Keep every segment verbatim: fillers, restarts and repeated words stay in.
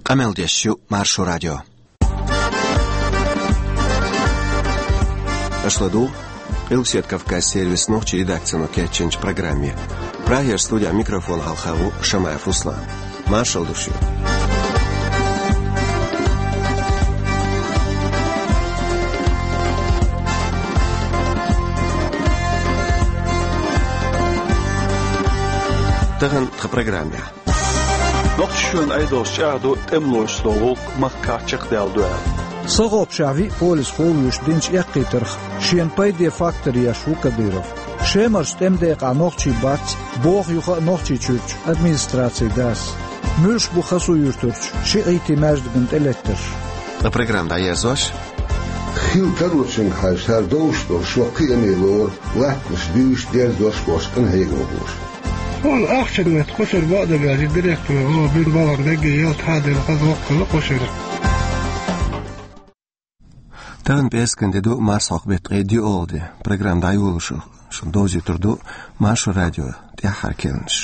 Къамел деш ю Маршо радио. Аша ладугӀу Къилбаседа Кавказ сервисан нохчийн редакцино кечйинчу программе. Прагера студехь микрофон хьалха ву Шамаев Руслан. Маршалла ду шуьга. Тахана тхан программехь. Нохчийчоьнан Ӏедалша чӀагӀдо тӀемалошца долу гӀуллакх махкахь чекхдаьлла ду аьлла. Сахопшехь виъ полис ховлуьйш динчу эккхийтарх шена пайде фактор еш ву Кадыров. Шемарчу тӀеман декъахь нохчий бац, боху юха а Нохчийчуьрчу администрацин дас. Муьлш бу Хасу-Юьртарчу шиӀитийн маьждигна тӀелеттарш? Ткъа программа дӀаерзош. Хила тарочуьнга хьаьжча, цара довш долуш, шо кхиаме лору, латтанаш дуьйш, дерзош а болуш, къинхьегамхоша. Хьуна ахчанан метта кху шеран бакъдерг аьлча, директора гӀо бина баларна дегге ялта хьадина хаза воккхалла кху шеран. Тахана пӀераскан де ду, марсхьокху беттан ткъе диъалгӀа де. Программа дӀайолош шуна довзуьйтур ду Маршо радион тӀаьххьара керланаш.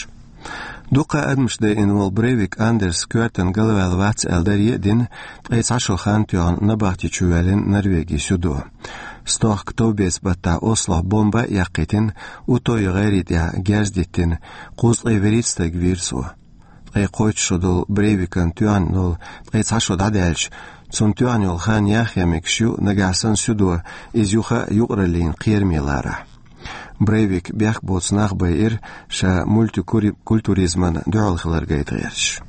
Дуккха а адамаш дайина волу Брейвик Андерс коьртана галваьлла вац аьлла даре а дина, ткъе цхьа шо хан тоьхна набахти чу ваьллина Норвегин судо. Стохка товбеца баттахь Ослохь бомба а яккхийтина, Утойн гӀайре тӀехь герз диттина, кхузткъе вуьрхӀитта стаг вийра цо. Ткъе кхойтта шо долу Брейвикан тоьхна долу ткъе цхьа шо дӀадаьлча, цунна тоьхна йолу хан яхъян мегаш ю, нагахь санна судо иза юха а юкъараллин кхераме ларахь. Брейвик бехк боцу нах байира, ша мультикультурализмана дуьхьал хилар гайта гӀерташ.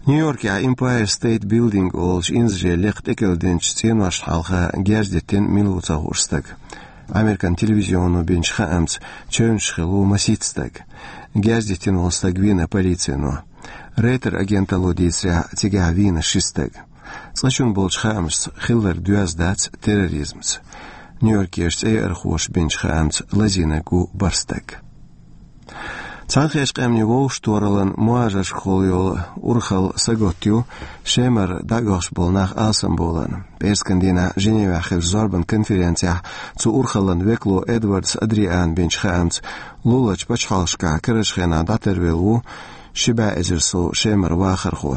Нью-Йоркехь Empire State Building олучу инзаре лекха тӀекӀел динчу цӀеношна хьалха герз диттина мила ву ца хууш стаг. Американ телевизионо бинчу хаамца, чевнаш хилла ву масийтта стаг. Герз диттина волу стаг вийна полицино. Рейтер агенталло дийцарехь, цигахь вийна ши стаг. Цкъачунна болчу хаамашца хилларг доьзна дац терроризмца. Нью-Йоркерчу цӀеярхоша бинчу хаамца лазийнарг ву бархӀ стаг. Цхьаьнакхеттачу Къаьмнийн Вовшахтохараллин мухӀажаршкахула йолу урхалла сагатта ю Шемара дӀаоьхуш болу нах алсамбовларна. ПӀераскан дийнахь Женевехь хиллачу зорбан конференцехь цу урхаллин векало Эдвардс Адриана бинчу хаамца, луларчу пачхьалкхашкахь карарчу хенахь дӀатарвелла ву ши бӀе эзар сов Шемара вахархо.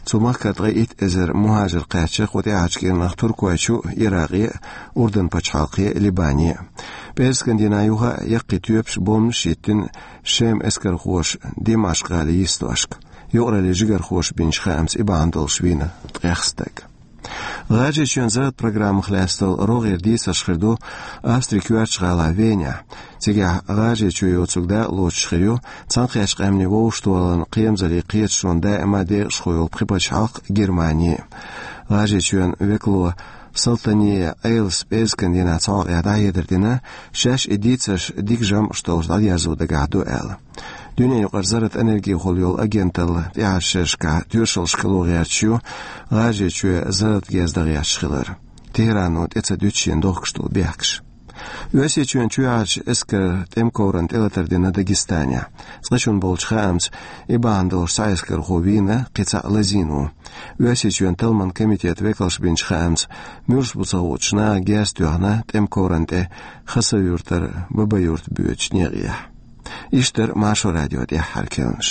Цу махкара ткъе итт эзар мухӀажар кхаьчна кху тӀаьхьарчу кӀирнах Туркойчу а, Иракъе а, Урдан пачхьалкхе а, Либане а. ПӀераскан дийнахь юха а яккхий тоьпаш, бомбанаш а йиттина Шеман эскархоша Димашкъ-гӀалин йистошка. Юкъараллин жигархоша бинчу хаамца, и бахьана долуш вийна ткъех стаг. ГӀажарийчоьнан зарратан программах лаьцна долу рогӀера дийцарш хир ду Австрин коьртачу гӀалахь Венехь. Цигахь ГӀажарийчоь йоцург дакъалоцуш хир ю Цхьаьнакхеттачу Къаьмнийн Вовшахтохараллин кхерамзаллин кхеташонан даима декъашхо йолу пхи пачхьалкх, Германи. ГӀажарийчоьнан векало Солтанеа Айлас пӀераскан дийнахь цхьа хьокъехь дӀахьедар дина, шаьш и дийцарш дика жамӀаш долуш дӀадерзо дагахь ду аьлла. Дуьненаюкъара зарратан энергехула йолу агенталла тӀаьхьарчу шерашкахь тоьшаллаш хило гӀерташ ю ГӀажарийчоь зарратан герз дан гӀерташ хилар. ТехӀрано тӀе ца дуьту шена дохкуш долу бехкаш. Оьрсийчоьнан чоьхьарчу эскаран тӀеман коврана тӀелатар дина Дагестанехь. Цкъачунна болчу хаамца, и бахьана долуш цхьа эскархо вийна, кхин цхьаъ лазийна ву. Оьрсийчоьнан талламан комитетан векалша бинчу хаамца, муьлш бу ца хуучу наха герз тоьхна тӀеман коврана тӀе Хасавюртара Бабаюрт боьдучу некъехь. Иштта дара Маршо радион тӀаьххьара керланаш.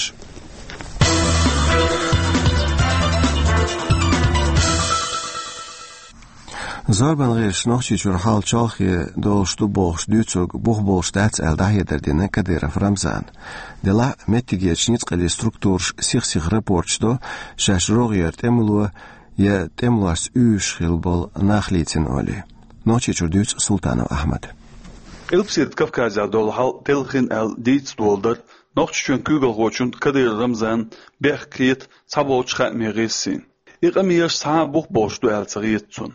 Зорбан гӀирсаша Нохчийчуьра хьал чолхе долуш ду бохуш дуьйцург бух болуш дац аьлла дӀахьедар дина Кадыров Рамзана. Делахь а меттигерчу ницкъаллин структураша сих-сиха рапорташ до, шаьш рогӀера тӀемало я тӀемалошца уьйраш хилла болу нах лийцина олий. Нохчийчуьра дуьйцу Султанов Ахьмада. Къилбаседа Кавказехь долу хьал телхина аьлла дийца долу дара Нохчийчоьнан куьйгалхочунна Кадыров Рамзанна бехк хета цхьаболчу хаамийн гӀирсийн. И къамелаш цхьа а бух болуш ду аьлла ца хета цунна.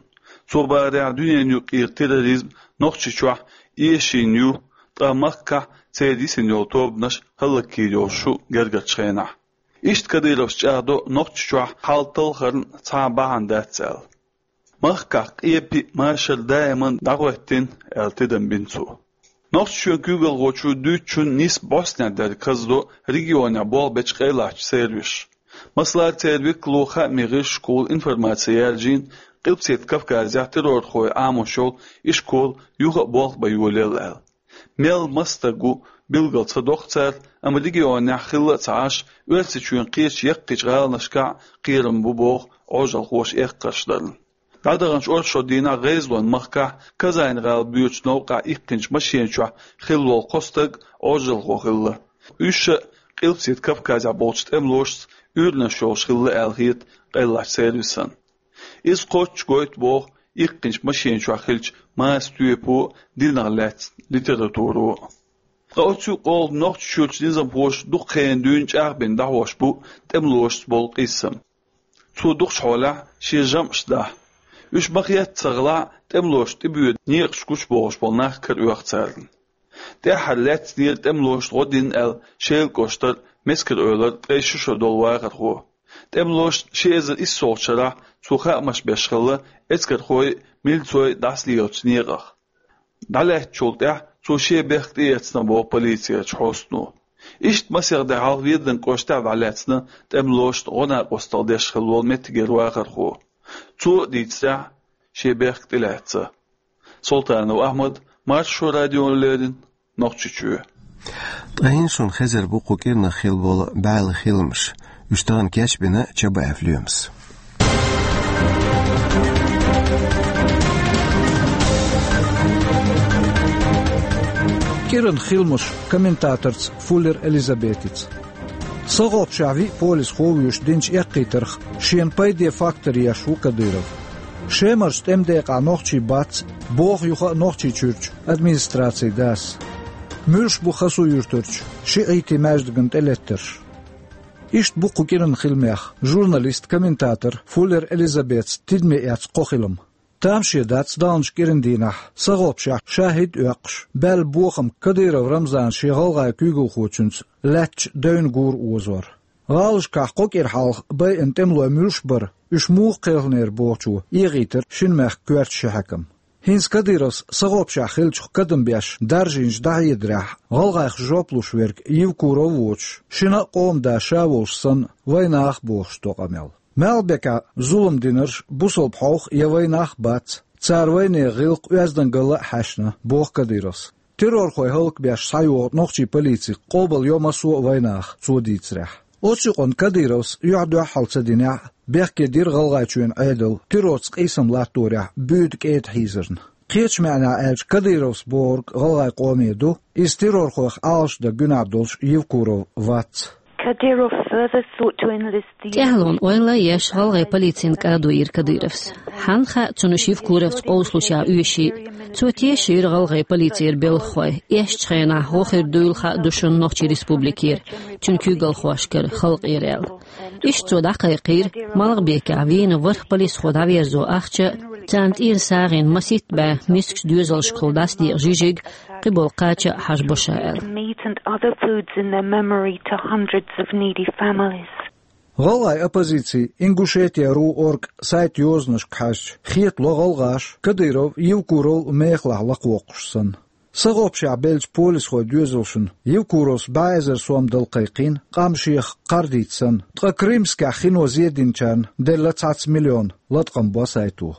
Цо бахарехь, дуьненан юкъара терроризм Нохчийчохь эшийна ю, ткъа махкахь церан йисина йолу тобанаш хӀаллакйийр йолуш ю гергарчу хенахь. Иштта Кадыровс чӀагӀдо Нохчийчохь хьал талхарна цхьа а бахьана дац аьлла. Махкахь къепе а, машар а даиман дӀахӀоьттина аьлла тидам бина цо. Нохчийчоьнан куьйгалхочо дуьйцучунна нисса бӀостанехьа дерг хазадо регионехь болх бечу къайлахчу сервисаша. Масала, церан векало хаамийн гӀирсашкахула информаци яьржийна, Къилбаседа Кавказехь террорхойн Ӏамош йолу ишкол юха а болх бан йолаелла аьлла. Мел маса стаг ву, билгал ца доху цара, амма регионехь хилла а ца Ӏаш, Оьрсийчоьнан кхечу яккхийчу гӀаланашкахь кхерам бу боху Ӏожалхоша эккхарш дарна. ДӀадаханчу оршот дийнахь ГӀезалойн махкахь Казань-гӀала боьдучу новкъахь иккхинчу машена чохь хилла волу кхо стаг Ӏожалхо хилла. Уьш а Къилбаседа Кавказехь болчу тӀемалошца уьйранаш йолуш хилла аьлла хета къайлахчу сервисан. Иза кхоччуш гойту боху иккхинчу машена чохь хиллачу маса тоьпо динах лаьцна литературо. Ткъа оцу юкъа олу Нохчийчуьрчу низамхоша дукха хенахь дуьйна чӀагӀбина дӀахьош бу тӀемалошца болу къийсам. Цо дукхачу хьолехь шен жамӀаш дахьа. Уьш ма-хетта ца гӀалахь, тӀемалошна тӀебоьду некъаш гучубохуш болу нах караоьху царна. ТӀаьххьара лаьцнера тӀемалошна гӀо дина аьлла Шелан кӀоштара Мескар-Эвлара ткъе ши шо долу вахархо. ТӀемалошна ши эзар иссолгӀачу шарахь цо хаамаш беш хилла эскархой а, милцой а дӀасалелачу некъах. ДӀалаьцначул тӀаьхьа цо шен бехк тӀеэцна боху полицерчу хьостано. Иштта масех де хьалха Веданан кӀоштахь дӀалаьцна тӀемалошна гӀо-накъосталла деш хилла волу меттигера вахархо. Цо а дийцарехь, шен бехк тӀелаьцна. Султанов Ахьмад, Маршо радиона леррина, Нохчийчоь. Ткъа хӀинца шуна хезар бу кху кӀиранах хилла болу бӀаьлла хиламаш. Уьш тахана кечбина Чабаев Лоьмас. КӀиранан хиламаш комментаторца Фуллер Элизабетица. СагӀопшехь виъ полисхо а вуьйш динчу эккхийтарх шена пайде фактор еш ву Кадыров. Шемарчу тӀеман декъахь нохчий бац, боху юха а Нохчийчуьрчу администрацин дас. Муьлш бу Хасу-Юьртарчу шиӀитийн маьждигна тӀелеттарш? Иштта бу кху кӀиранан хиламех журналист, комментатор Фуллер Элизабетица тидаме эцна кхо хилам. Тамаше дац даханчу кӀиран дийнахь, СагӀопшехь шахӀид а оьккхуш, баьлла бохам Кадыров Рамзана шен гӀалгӀайн куьйгалхочуьнца лаьттачу девнан гур озор. ГӀалашкахь кхо кӀира хьалха байина тӀемалой муьлш бара, уьш муха кхелхинера бохучо эгӀийтира шина мехкан коьртачу ши хьаькамна. ХӀинца Кадыровс СагӀопшехь хиллачух кадам беш даржийначу дӀахьедарехь, гӀалгӀайх жоп луш верг Евкуров а воцуш, шина а къоман да ша волуш санна, вайнах а бохуш до къамел. Малхбекехь зулам динарш бусалба хьовха я вайнах а бац, цара вайнехан гӀиллакх оьздангалла а хьаьшна, боху Кадыровс. Террорхой хӀаллакбеш схьайогӀу нохчийн полицих къобал йо массо а вайнах, цо дийцарехь. Оцу юкъанна Кадыровс юьхь-дуьхьал ца динехь а, бехке дира ГӀалгӀайчоьнан Ӏедал террорца къийсам латторехь буьйда кӀеда хьийзарна. Кхечу маьӀнехь аьлча, Кадыровс бохург гӀалгӀайн къоме ду, иза террорхойх Ӏалашдан гуьнахь долуш Евкуров вац. Kadyrov further sought to enlist the ТӀаьхьалонан ойла еш гӀалгӀайн полицина кӀадо йира Кадыровс. Хьанна хаьа цунна уьш Евкуровца къовсалуш яха оьший? Цо тешийра гӀалгӀайн полицера белхахой, эшначу хенахь гӀо хир дуйла хаа ду шуна Нохчийн Республикера, цуьнан куьйгалхошкара, халкъера аьлла. Иштта цо дӀакхайкхийра, Малхбекехь вийна ворхӀ полисхо дӀаверзо ахча а, царна тӀера сагӀина масийтта бӀе мискачу доьзалшкахула дӀасадекъа жижиг а, кхиболу кхача а хьажа бо ша аьлла. Meat and other foods in their memory to hundreds of needy families. ГӀалгӀайн оппозицин Ингушетия ру орг сайта йозанашка хьаьжча, хетало гӀалгӀаш Кадыров, Евкуров мехалахь лакхавоккхуш санна. СагӀопшехь беллачу полисхойн доьзалшна Евкуровс бӀе эзар сом дала кхайкхийна, къам шех кхардийта санна, ткъа Крымскехь хино зе динчарна делла цхьацца миллион, латкъам бо сайто.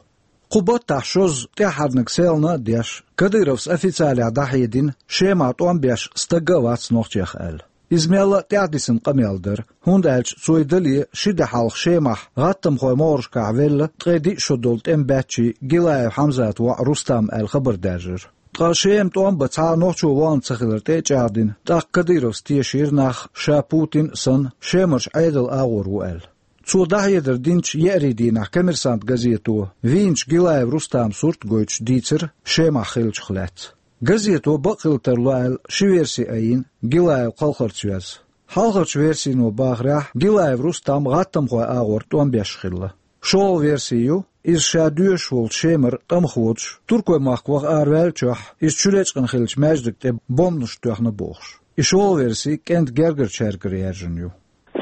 Кху баттахь шозза тӀаьххьарниг селхана а деш, Кадыровс официалехь дӀахьедина, Шемахь тӀом беш стаг а вац нохчех аьлла. Иза мелла а тӀаьхьадисина къамел дара, хӀунда аьлча цо и дале ши де хьалха Шемахь гӀаттамхойн могӀаршкахь велла ткъе диъ шо долу тӀеман баьччий Гилаев Хьамзатан воӀ Рустам аьлла хабар даьржира. Ткъа Шема тӀом бан цхьа а нохчо вахана ца хилар тӀе а чӀагӀдина, тӀаккха Кадыровс тешийра нах, ша Путин а санна, Шемарчу Ӏедалан агӀор ву аьлла. Цо дӀахьедар динчу еарин дийнахь «Коммерсант» газето вийначу Гилаев Рустаман сурт а гойтуш дийцира Шемахь хиллачух лаьцна. Газето бакъ хила тарло аьлла ши верси айина, Гилаев кхалхарца веза. Хьалхарчу версино бахарехь, Гилаев Рустам гӀаттамхойн агӀор тӀом беш хилла. ШолгӀа верси ю, иза ша доьшуш волчу Шемара тӀамах воцуш, туркойн махка ваха араваьллачохь, иза чуьречкъина хиллачу маьждиг тӀе бомбанаш тоьхна бохуш. И шолгӀа верси кӀентан гергарчаьргара яьржина ю.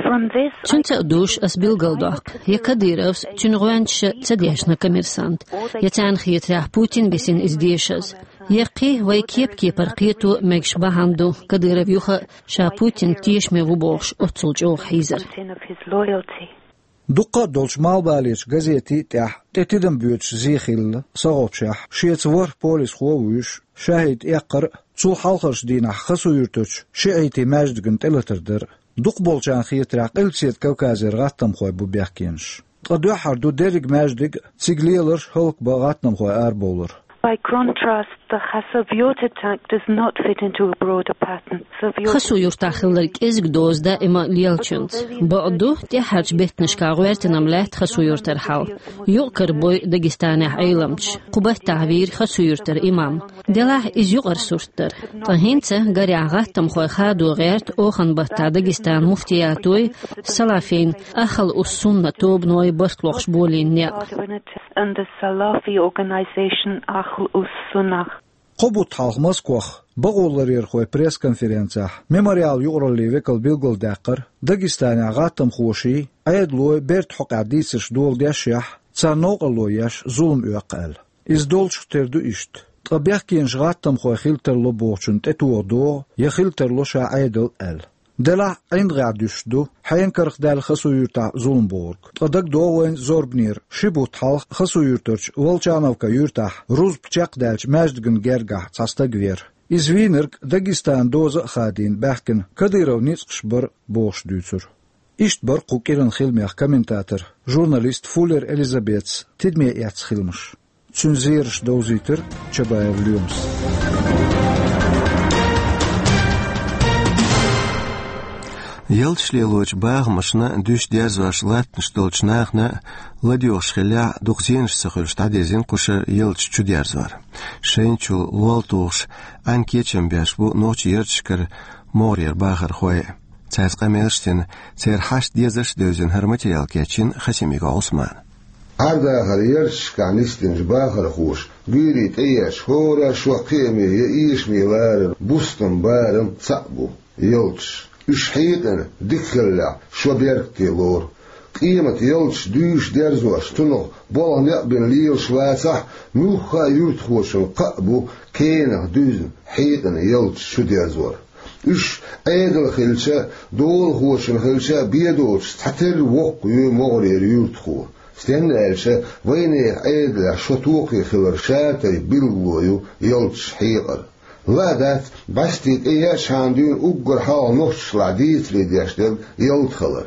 From this, Цуьнца а дуьйш ас билгалдоккху, я Кадыровс, цуьнан гӀоьнчаша ца дешна «Коммерсант», я царна хетарехь Путин висина иза дешаза, я кхин вай кеп-кепара кхето мегаш бахьана ду Кадыров юха а ша Путинна тешаме ву бохуш оццул чӀогӀа хьийзар. Of his loyalty. Дуккха а долчу малхбалерчу газетийн тӀехь тӀе тидам боьдуш зе хилла СагӀопшехь, шеца ворхӀ полисхо а вуьйш, шахӀид эккхар а, Цул хьалхарчу дийнахь Хасу-Юьртарчу шиӀитийн маьждигна тӀелатар дара. Дукхахболчарна хетарехь, Къилбаседа Кавказера гӀаттамхой бу бехкенаш. Ткъа дуьххьара ду дерриг маьждиг а, цига леларш а хӀаллакбан гӀаттамхой арабовлар. By contrast, the Khasavyurt attack does not fit into a broader pattern. Хасу-Юьртахь хилларг кӀезиг доза даима лелачуьнца. Бакъду, тӀаьххьарчу беттанашкахь гӀоьртина-м лаьтта Хасу-Юьртара хьал. Юкъ карабой Дагестанехь Ӏеламчаш. Кху баттахь вийра Хасу-Юьртара имам. Делахь иза юкъара сурт дара. Ткъа хӀинца, гарехь, гӀаттамхой хадо гӀерта оханан баттахь Дагестанан муфтиятой, салафийн Ахьл-ус-Сунна тобаной барт лохуш болийна некъ. And the Salafi organization Ahl us-Sunnah. Кхо бутт хьалха Москвахь бакъоларъярхойн пресс-конференцехь Мемориал юкъараллин векал билгалдаьккхира, Дагестанехь гӀаттамхоший, Ӏедалой бертан хьокъехь дийцарш доладешшехь, царна новкъарло еш зулам оьккху аьлла. Иза долчух тера ду иштта. Ткъа бехкенаш гӀаттамхой хила тарло бохучунна тӀетоха догӀу, я хила тарло ша Ӏедал аьлла. Делахь а, ӀиндагӀехь дуьсуш ду хьенан карах даьлла Хасу-Юьртахь зулам бохург. Ткъа дагадогӀу вайна зорбанера ши бутт хьалха Хасу-Юьртарчу Волчановка юьртахь рузба чекхдаьллачу маьждигна гергахь цхьа стаг веара. Иза вийнарг Дагестанан доза а хадийна баьхкина Кадыровн ницкъаш бара бохуш дуьйцура. Иштта бара кху кӀиран хиламех комментатор, журналист Фуллер Элизабетас тидаме эцна хиламаш. Цуьнан зераш довзийтира Чабаев Лоьмас. Ялташ лелочу бахамашна дуьсу дерзош латтанаш долчу нахана ладоьгӀуш хиллехь, дукха зенаш ца хуьлуш дӀадирзина кху шарахь ялташ чудерзор. Шайна чул лол тухуш, Ӏаьнан кечам беш бу нохчийн ярташкара могӀарера бахархой. Цаьрца къамелаш а дина, церан хьашт, дезарш а девзина хӀара материал кечйина Хасимиков Ӏусмана. Ӏер-дахаран ярташкахь нисдинчу бахархоша гуьйре тӀеэцча, хӀора шо кхиаме я эшаме ларар бустам, барам цхьаъ бу ялташ. Уьш хьекъина дика хиллехь, шо беркате лору. Къематан ялташ дуьйш дерзош, цунах болх некъ бина лелаш вацахь, муьлхха а юьртахочун кхаъ бу кенах дуьзна, хьекъина ялташ чудерзор. Уьш Ӏедал хилча а, долахочун хилча а бен доцуш цхьатерра воккха ю могӀарера юьртахо. Стенна аьлча, вайнехан Ӏедалехь шо токхе хиларан шатайпа билгало ю ялташ хьекъар. Ла а дац, бӀаьсте тӀеэцчхьана дуьйна уггар хьалха нохчашлахь дийцаре деш дерг ялта хилар.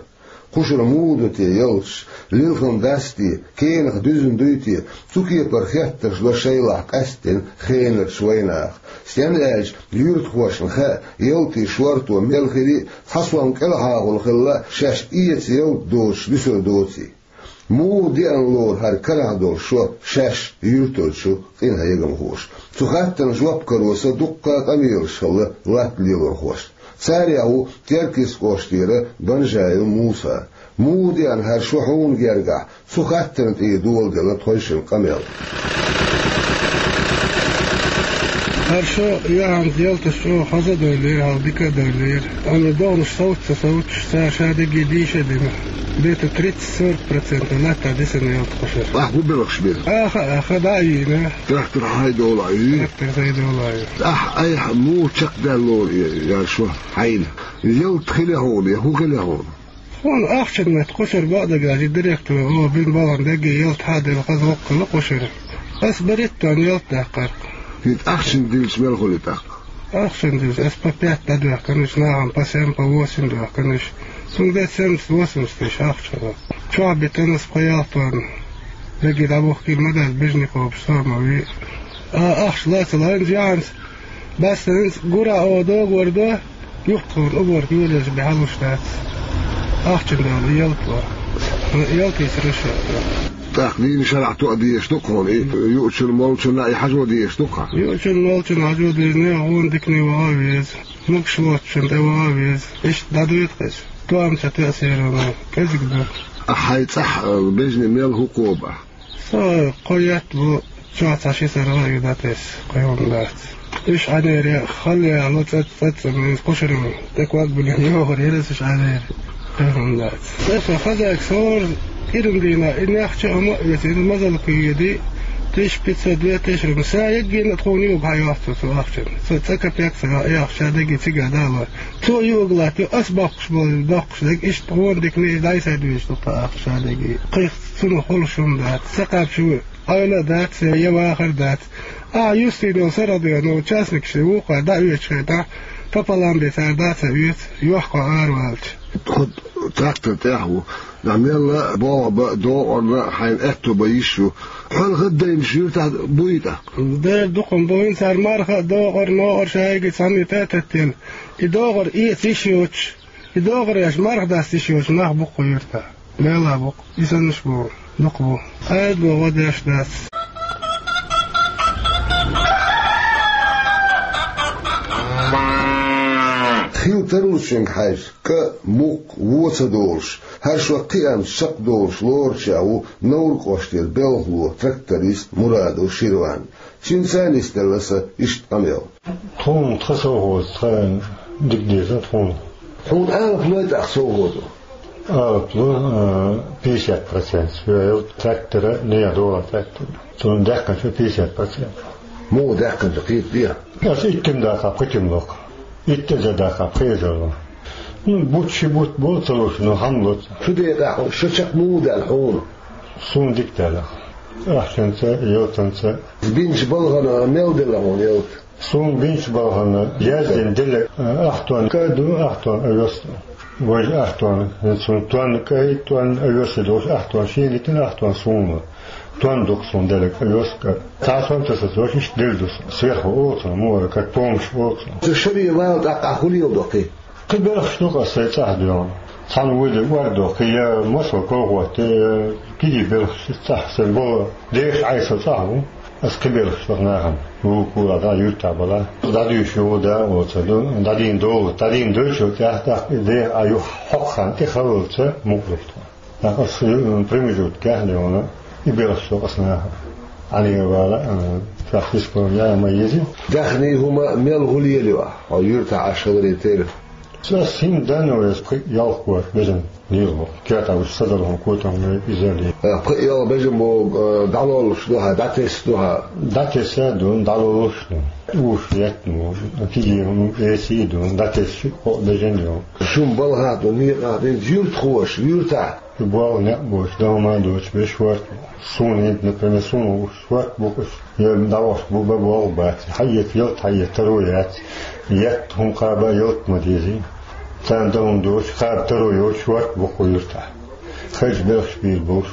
Кхушара муха ду те ялташ, лилхина дац те, кенах дуьзна дуй те, цу кепара хеттарш до шайлахь къаьсттина хенарчу вайнаха. Стенна аьлча, юьртахошна хаьа, ялтийн шорто мел хили а, цхьа сом кӀелхьагӀула хилла а, шаьш эца ялта доцуш дуьсур доций. Муха деана лору хӀара карахь долу шо шаьш, юьртарчу къинхьегамхоша? Цу хаттарна жоп каро сан дуккха а къамелаш хилла латта лелорхошна. Царех ву Теркйист кӀоштара Банжаев Муса. Муха деана хӀара шо хьуна гергахь? Цу хаттарна тӀера доладелла тхойшинна къамел. ХӀара шо яхьанца ялташ чӀогӀа хаза а дойлира, хьалха дика а дойлира. Амма догӀанаш совца ца совцуш, цара ша дерриге дийша а дина, где-то тридцать-сорок процентов латта дисина ялта кхушара. Ахь хӀун белхаш бира? Аха, аха, дӀа а йийна. Трактор хьайдолу а ю? Трактор хьайдолу а ю. Ахь айхьа муха чекхдаьлла лору и, яра шо хьайна? Ялта хили хьуна, я хӀун хили хьуна? Хьуна ахчанан метта кхушара бакъдерг а, и директор, о, бина балхана дерриге ялта хьаделла хаза воккхалла кхушара. Ас баритта ялта даьккхира. ХӀинца ахчанан дилча мел хуьлу тӀаккха? Ахчанан дилча ас по пять дӀадоьхкина уьш, нахана по семь, по восемь доьхкина уьш. Цуьнга де семьдесят-восемьдесят тысяч ахча хилла. Чохь битина ас пхи-ялх тонна. Дерриге дӀабухкийла ма дац, бежанийн кхобуш со а ма вий. А, ахча лаца лайна яхьанца. Баьсса хӀинца гура а, о, догор до, юхатхуна уборка йолаелча бен хьалуш дац. Ахчанан дела ялта вара. Ялта йисира шо. ТӀаккха дийна шарахь тоъа дезаш ду-кх хьуна, и юучунна, молчунна и хьажо дезаш ду-кх хьан? Юучунна, молчунна хьажо деза, нехан гӀонан дикане ваха а веза, могуш воцучунна тӀе ваха а веза. Иштта дӀадоьду-кх иза. Тоам ца тоьа серано, кӀезиг ду. Ахьа хьайн цӀахь, а, бежанийн мел хӀун кхобу ахь? Со кхо етт бу, чохь цхьа ши саргӀа а ю дӀатесна, кхин хӀума дац. Уьш Ӏанера хала яхьало цӀац-, цӀаццӀа муьйза кхушарма тӀе ког биллина йохур яра аса уьш Ӏанера. Кхин хӀума дац. Аса хазайга сора кӀиран дийнахь и нехча а хӀума а оьцу, иза мазалла кхийди, тысяча пятьсот, две тысячи рубля. Сан еггина а тхуна юург хьайоьху цо цу ахчанна. Со цкъа капек ца йоьху, ша дерриге цигахь далор. Цо юург латтайо, ас боккхуш болу, боккхуш дерг, иштта гӀонан дикане иза дӀасадоьжуш ду тхан ахча ша дерриге. Кхин цунах хуьлуш хӀума дац. Ца кхаьбча ву, Ӏойла а дац, я вахар а дац. А, юстино сарадено, частникаш вукхо дӀаоьцуш хетахь, пополам бен цара дӀа а ца оьцу, йохко араваьлча. Тхо трактор тӀехь ву, нах мелла а болх бан, догӀарна а хьайна аьтто бан йиш ю. Хьол хаддайнаш юьртахь буй тӀаккха? Дера дукха ма бу, хӀинца цара марха а, догӀар, могӀар шайга цхьаьна тӀе а теттина. И догӀар эца йиш йоцуш, и догӀар еш марха даста йиш йоцуш нах бу кху юьртахь. Мелла а бу-кх, и саннаш бу, дукха бу. Къайда бу, гӀо деш дац. Хила тарлучуьнга хьаьжча, кӀа, мукх, во ца долуш, хӀара шо кхиамца чекхдолуш лоручех ву Невран кӀоштера белхало, тракторист Мурадов Ширван. Цуьнца нисделла сан иштта къамел. Тхуна тхан совхоза тхан дика деза тхуна. Хьуна алапа лой тӀаккха совхозо? Алапа ло, а, пятьдесят процент. Йоьалла трактора, нехан догӀу трактора. Цунна даьккхинчу пятьдесят процент. Муха даьккхинчу кхетадехьа? Аса иттим даккха, пхийтим ло-кх. Итт эзар даккха, пхи эзар ло. Ну, бутт ши бутт бо ца луш, ну, хьан ло ца? Шу декъахь, шу чекх муха даьлла хьуна? Суна дика даьлла. Ахчанца, ялтанца. Бинчу балхана мел делла хьуна ялта? Суна бинчу балхана яздина делла, а, ах тонна кӀа ду, ах тонна овес ду. Важа ах тонна, хӀинца суна тонна кӀай, тонна овес долуш ах тонна шена дитина, ах тонна суна. Тонна ду-кх суна делларг овес, кӀа. Цхьа сом таса долуш иштта делла ду суна. Сверху олу цунах, муха, как помощь олу цунах. Цу шаре вала тӀаккха хӀун леладо кхин? Кхин белхаш ду-кх аса сайн цӀахь доьгӀна. Цхьана вуьйла ордо кхин, я масал колхоз тӀе, я кегий белхаш цӀахь сайн болу. Деша Ӏайса цӀахь ву. Аса кхин белхаш ду-кх нахана. Вукхула дӀа юьртахь бала. ДӀадуьйш ю, да, оцу ду. ДӀадийна долу. ДӀадийна долчул тӀаьхьа тӀаккха и деха а юха хьокху хан тӀе халлалца мукъа ду-кх тхо. ТӀаккха аса, м, промежуткехь а леона, и белхаш ду-кх аса нахана. Ӏанера вала, а, шаьш хӀиско яа ма еза. Даьхний хӀума мел хӀун лелайо ахь, хьо юьртахь Ӏаш хиларе терра? Аса хӀинца данна вайса пхи-ялх корта бежана лело. Кертахь уьш садала хӀума котам вай иза ле. Э, пхи-ялх бежан боху, э, дӀалоллуш ду хьан, дӀатесна ду хьан? ДӀатесна а ду, дӀалоллуш а ду. Уьш еттана ву, кегий хӀума эсий а ду, дӀатесна шиъ-кхоъ бежан а ю. Шун балхахь ду, некъахь ду, юьртахоша, юьртахь. Шу болх некъ боцуш, дан хӀума а доцуш, вешан хӀорд бу. Суна хӀинца, например, суна уьш хӀорд бу-кх уьш. Я дӀавахаш бу, бан болх бац. Хьаэца ялта, хьаэца таро яц. Етта хӀума кхаба а ялта ма дезий. Царна дан хӀума доцуш, кхаба таро йоцуш хӀорд бу-кх кху юьртахь. Хезча белхаш бийр болуш.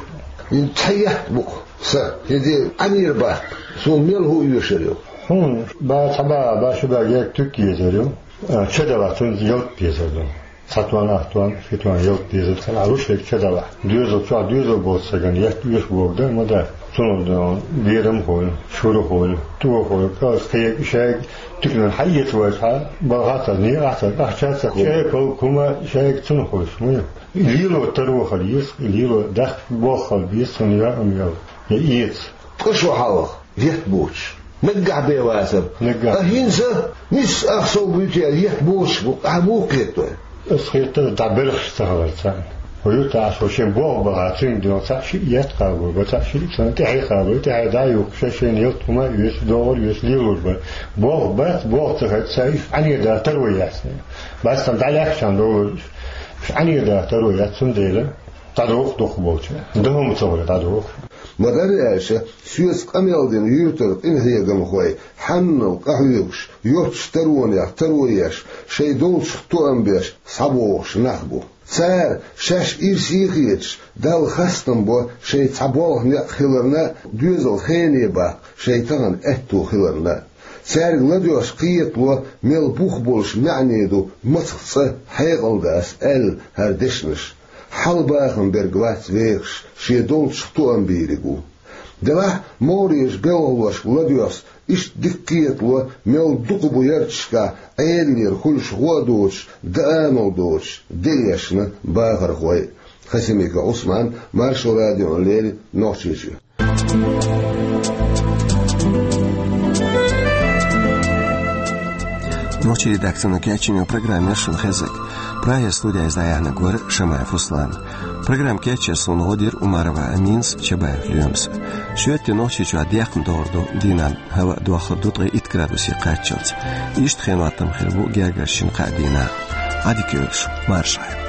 ХӀинца цхьа етта бу-кх сан, хӀинца Ӏанера баккха. Суна мел хӀу оьшур ю? Хьуна ба цхьа бага, ба ши бага ерг туька езар ю. А, ча далахь цунна ялта безар ду. Цхьа тонна, ах тонна, ши тонна ялта дезар, цхьана рушек ча далахь. Доьзал чохь доьзал боцу стагана етта оьшу бохург ма дац. Цунах дан берам а хуьлу, шура а хуьлу, тӀо а хуьлу, кӀалш кхерга, шайга туьканан хьаэца вайчхьа, балхахь а ца, некъахь а ца, ахча а ца, чӀепалг, хӀума шайга цунах хуьлуш ма ю. И лело таро хила еза, и лело даккха болх хила беза, цунна яа а ма яла. Я эца. Ткъа шо хьалха етта боцуш. Наггахь бен вацара. Наггахь. А хӀинца нисса ах сов буьйцу аьлла етта боцуш бу, ахьа муха кхетадо? Аса хетара, дӀа белхаш ца хилар царна. Хьо юьртахь аса шен болх бахахь, цуьнга доьгӀна цхьаъ-шиъ етта кхаба, цхьаъ-шиъ царна тӀаьхье кхаба, тӀаьхье дӀа а юхкуш, шайн ялта хӀума а оьцу, догӀур а оьцу, лелор бара. Болх бац, болх ца хилча, цара уьш Ӏанера даккха таро яц. Бац, царна дӀалаьхкачарна догӀур уьш. Уьш Ӏанера даккха таро яц, цундела дӀадоху дукхахболчара. Дан хӀума ца хуьлу дӀадоху. Ма-дарра аьлча, соьца къамел дина юьртара къинхьегамхой, хьанал къахьоьгуш, йоццачу таронех таро еш, шайн долчух тоам беш, схьабогӀуш нах бу. Цара, шаьш ирсе а хеташ, Далла хастам бо шайн цхьа болх некъ хиларна а, доьзал хене баккха шайн тахана аьтто хиларна а. Цаьрга ладоьгӀуш кхетало, мел бух болуш маьӀне ду мацах цӀа хьекъал дац аьлла хӀара дешнаш. Хьалабахам берг вац вехаш, шен долчух тоам бийриг ву. Делахь а, могӀарерчу белхалошка ладоьгӀуш, иштта дика кхетало, мел дукха бу ярташкахь Ӏедалера хуьлуш гӀо а доцуш, даанал доцуш, де эшна бахархой. Хасимиков Ӏусман, Маршо радиона леррина, Нохчийчоь. Нохчийн редакцино кечйина программа яра шуна хезнарг. Прагера студехь иза дӀаяьхьнарг вара Шамаев Руслан. Программа кечъеш суна гӀо дира Умарова Аминас, Чабаев Лоьмас. Шоьтан Нохчийчохь декхна догӀур ду, дийнахь хӀаваъ дохлур ду ткъе итт градусе кхаччалц. Иштта хенан хӀоттам хир бу гергарчу шина-кхаа дийнахь. Ӏадика йойла шу, марша Ӏойла.